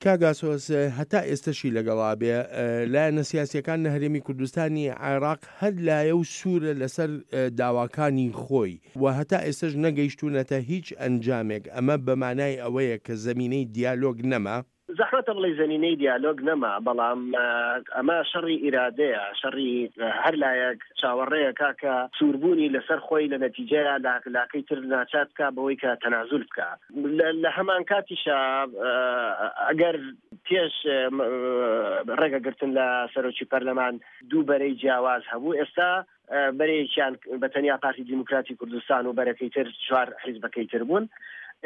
کاک ئاسۆس، هەتا ئێستەشی لەگەڵا بێ، لایەنە سیاسییەکان لە هەرێمی کوردستانی عێراق هەر لایە و سوورە لەسەر داواکانی خۆی و هەتا ئێستەش نەگەیشتوونەتە هیچ ئەنجامێک، ئەمە بە مانای ئەوەیە کە زەمینەی دیالۆگ نەما؟ زەحمەتە بڵێی زەمینەی دیالۆگ نەما، بەڵام ئەمە شەڕی ئیرادەیە، شەڕی هەر لایەک چاوەڕێیە کا کە سووربوونی لەسەر خۆی لە نەتیجەیا لاکەی تر ناچار بکا بەوەی کە تەنازول بکا. لە هەمانکاتیشا ئەگەر پێش ڕێگەگرتن لە سەرۆکی پەرلەمان دوو بەرەی جیاواز هەبوو، ئێستا بەرەیەکیان بە تەنیا پارتی دیموکراتی کوردستان و بەرەکەی تر چوار حیزبەکەی تر بوون.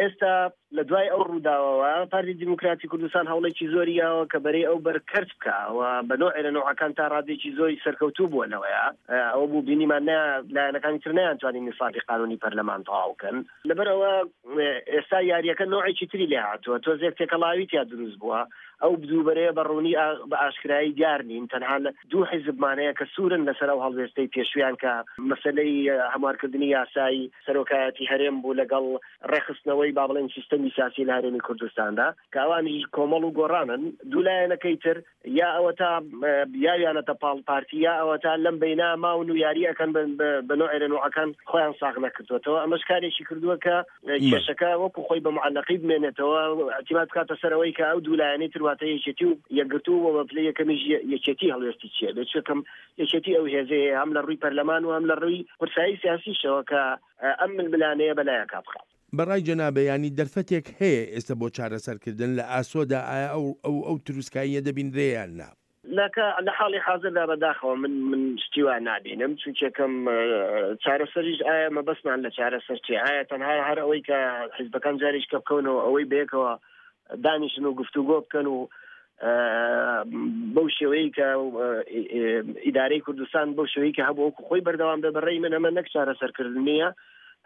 ئێستا لە دوای ئەو ڕووداوەوە پارتی دیموکراتی کوردستان هەوڵێکی زۆری یاوە کە بەرەی ئەو بەر کەرت بکا و بە نۆعێ لە نۆعەکان تا ڕادەیەکی زۆری سەرکەوتوو بووە لەوەیا. ئەوە بوو بینیمان نە لایەنەکانی تر نەیانتوانی نیسابی قانوونی پەرلەمان تەواو کەن. لەبەر ئەوە ئێستا یارییەکە نۆعێکی تری لێ هاتووە، تۆزێک تێکەڵاوی تیا دروست بووە. ئەو دوو بەرەیە بە ڕوونی بە ئاشکرایی دیار نین، تەنها دوو حیزبمان هەیە کە سوورن لەسەر ئەو هەڵوێستەی پێشوویان کە مەسەلەی هەموارکردنی یاسای سەرۆکایەتی هەرێم بوو لەگەڵ ڕێکخستنەوەی با بڵێین سیستەمی سیاسی لە هەرێمی کوردستاندا کە ئەوانیش کۆمەڵ و گۆڕانن. دوو لایەنەکەی تر یا ئەوەتا یاویانەتە پاڵ پارتی یا ئەوەتا لەم بەینا ماون و یاری ئەکەن بە نۆعێ لە نۆعەکان خۆیان ساغ نەکردووەتەوە. ئەمەش کارێکی کردووە کە کێشەکە وەکو خۆی بە معەلەقی بمێنێتەوە، ئیعتیماد بکاتە سەر ئەوەی کە ئەو دوو لایەنەی تر واتە یەکێتی و یەکگرتوو و بە پلەی یەکەمیش یەکێتی هەڵوێستی چییە بێت، چونکە یەکێتی ئەو هێزەیە هەم لە ڕووی پەرلەمان و هەم لە ڕووی قورسایی سیاسیشەوە کە ئەم ململانێیە بەلایەکا بخات. بە ڕای جەنابە یانی دەرفەتێک هەیە ئێستا بۆ چارەسەرکردن لە ئاسۆدا ئایا ئەو ئەو ئەو تروسکاییە دەبینرێ یان نا؟ لە کە لە حاڵی حازردا بە داخەوە من من شتی وا نابینم چونکێکم چارەسەریش ئایا مەبەستمان لە چارەسەر چیە ئایا تەنها هەر ئەوەی کە حیزبەکان جاریش کە بکەونەوە ئەوەی بەیەکەوە دانیشن و گفتوگۆ بکەن و بەو شێوەیە کە ئیدارەی کوردستان بەو شێوەی کە هەبوو وەکو خۆی بەردەوام بێ بەڕێی من ئەمە نەک چارەسەرکردن نییە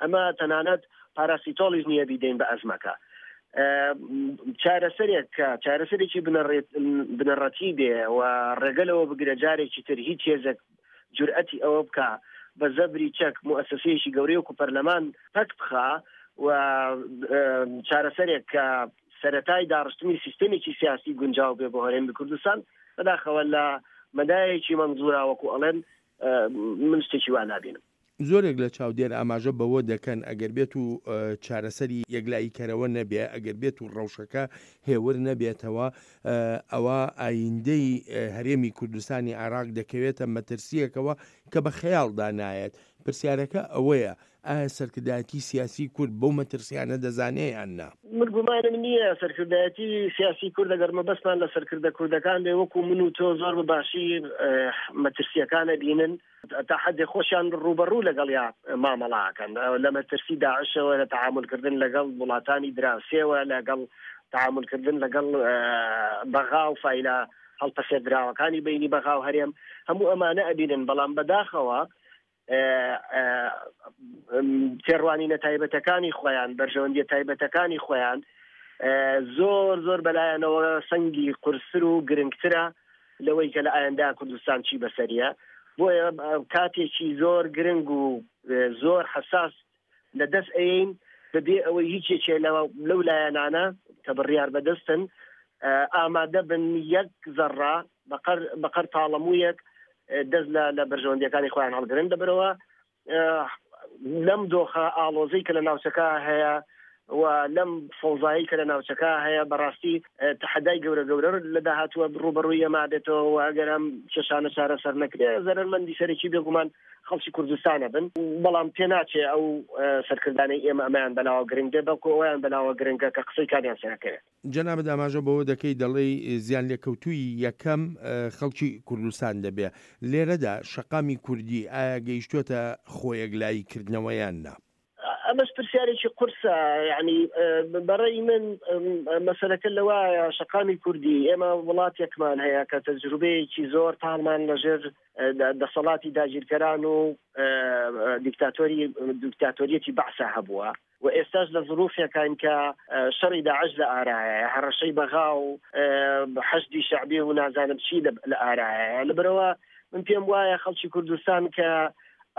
ئەمە تەنانەت پاراسیتۆڵیش نییە بیدەین بە ئەزمەکە چارەسەرێک کە چارەسەرێکی بنەڕەتی بێ و ڕێگە لەوە بگرە جارێکی تر هیچ هێزێک جورئەتی ئەوە بکا بە زەبری چەک موئەسەسەیەکی گەورەی وەکو پەرلەمان پەک بخا و چارەسەرێک کە سەرەتای داڕشتنی سیستەمێکی سیاسی گونجاو بێ بۆ هەرێمی کوردستان بەداخەوە لە مەدایەکی مەنزورا وەکو ئەڵێن من شتێکی وا نابینم. زۆرێک لە چاودێر ئاماژە بەوە دەکەن ئەگەر بێت و چارەسەری یەکلاییکەرەوە نەبێ، ئەگەر بێت و ڕەوشەکە هێور نەبێتەوە، ئەوا ئایندەی هەرێمی کوردستانی عێراق دەکەوێتە مەترسییەکەوە کە بە خەیاڵدا نایەت. پرسیارەکە ئەوەیە ئایا سەرکردایەتی سیاسی کورد بەو مەترسیانە دەزانێ یان نا؟ من گومانم نییە سەرکردایەتی سیاسی کورد ئەگەر مەبەستمان لە سەرکردە کوردەکان بێ وەکو من و تۆ زۆر بە باشی مەترسییەکان ئەبینن، تا حەدێ خۆشیان ڕووبەڕوو لەگەڵیا مامەڵە ئەکەن لە مەترسی داعشەوە لە تەعامولکردن لەگەڵ وڵاتانی دراوسێوە لەگەڵ تەعامولکردن لەگەڵ بەغا و فایلە هەڵپەسێردراوەکانی بینی بەغا و هەرێم هەموو ئەمانە ئەبینن بەڵام بەداخەوە تێڕوانینە تایبەتەکانی خۆیان بەرژەوەندیە تایبەتەکانی خۆیان زۆر زۆر بەلایەنەوە سەنگی قورستر و گرنگترە لەوەی کە لە ئایندە کوردستان چی بەسەریە بۆیە کاتێکی زۆر گرنگ و زۆر حساس لە دەست ئەین بەبێ ئەوەی هیچ یەکێ لەو لایەنانە کە بڕیار بەدەستن ئامادە بن یەک زەڕە بەقەر تاڵەموویەک دەست لە بەرژەوەندیەکانی خۆیان هەڵگرن دەبەرەوە لەم دۆخە ئاڵۆزەی کە لە ناوچەکە هەیە و لەم فەوزایی کە لە ناوچەکە هەیە بەڕاستی تەحەدای گەورە گەورە لە داهاتووە ڕووبەڕووی ئێمە بێتەوە و ئەگەر ئەم کێشانە چارەسەر نەکرێ زەرەرمەندی سەرەکی بێگومان خەڵکی کوردستانە بن بەڵام پێناچێ ئەو سەرکردانەی ئێمە ئەمەیان بەلاوە گرنگ بێ بەڵکو ئەویان بەلاوە گرنگە کە قسەی کامیان سەرەکەوێت. جەنابت ئاماژە بەوە دەکەی دەڵێی زیانلێکەوتووی یەکەم خەڵکی کوردستان دەبێ. لێرەدا شەقامی کوردی ئایا گەیشتۆتە خۆیەکلایی کردنەوە یان نا؟ ئەمەش پرسیارێکی قورسە یعنی بەڕێی من مەسەلەکە لەوایە شەقامی کوردی ئێمە وڵاتێکمان هەیە کە تەجروبەیەکی زۆر تاڵمان لەژێر دەسەڵاتی داگیرکەران و دیکتاتۆری دیکتاتۆریەتی بەعسا هەبووە و ئێستاش لە زروفێکاین کە شەڕی داعش لە ئارایە هەڕەشەی بەغا و حەشدی شەعبی و نازانم چی لە ئارایە لەبەرەوە من پێم وایە خەڵکی کوردستان کە.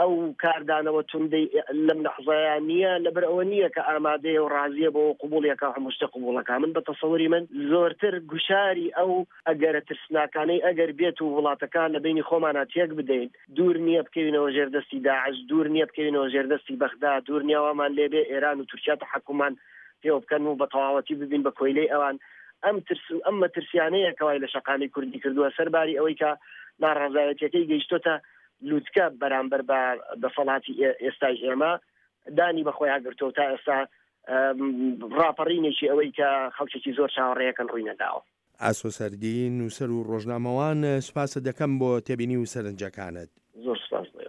ئەو کاردانەوە توندەی لەم لەحزەیە نییە، لەبەر ئەوە نییە کە ئامادەیە و ڕازییە بۆ قبوڵی ئەکا و هەموو شتێک قبوڵ ئەکا. من بە تەسەوری من زۆرتر گوشاری ئەو ئەگەرە ترسناکانەی ئەگەر بێت و وڵاتەکە لە بەینی خۆمانا تێک بدەین، دوور نییە بکەوینەوە ژێر دەستی داعش، دوور نییە بکەوینەوە ژێر دەستی بەغدا، دوور نییە وامان لێ بێ ئێران و تورکیا تەحەکوممان پێوە بکەن و بە تەواوەتی ببین بە کۆیلەی ئەوان. ئەم ترس و ئەم مەترسیانەیە کە وای لە شەقامی کوردی کردووە، سەرباری ئەوەی کە ناڕەزایەتییەکەی گەیشتۆتە لوتکە بەرامبەر بە دەسەڵاتی ئێستای ئێمە دانی بەخۆیان گرتووە تا ئێستا ڕاپەڕینێکی ئەوەی کە خەڵکێکی زۆر چاوەڕێیەکەن ڕووی نەداوە. ئاسۆ سەردی، نووسەر و ڕۆژنامەوان، سوپاست دەکەم بۆ تێبینی و سەرنجەکانت. زۆر سوپاس بۆ ئێوە.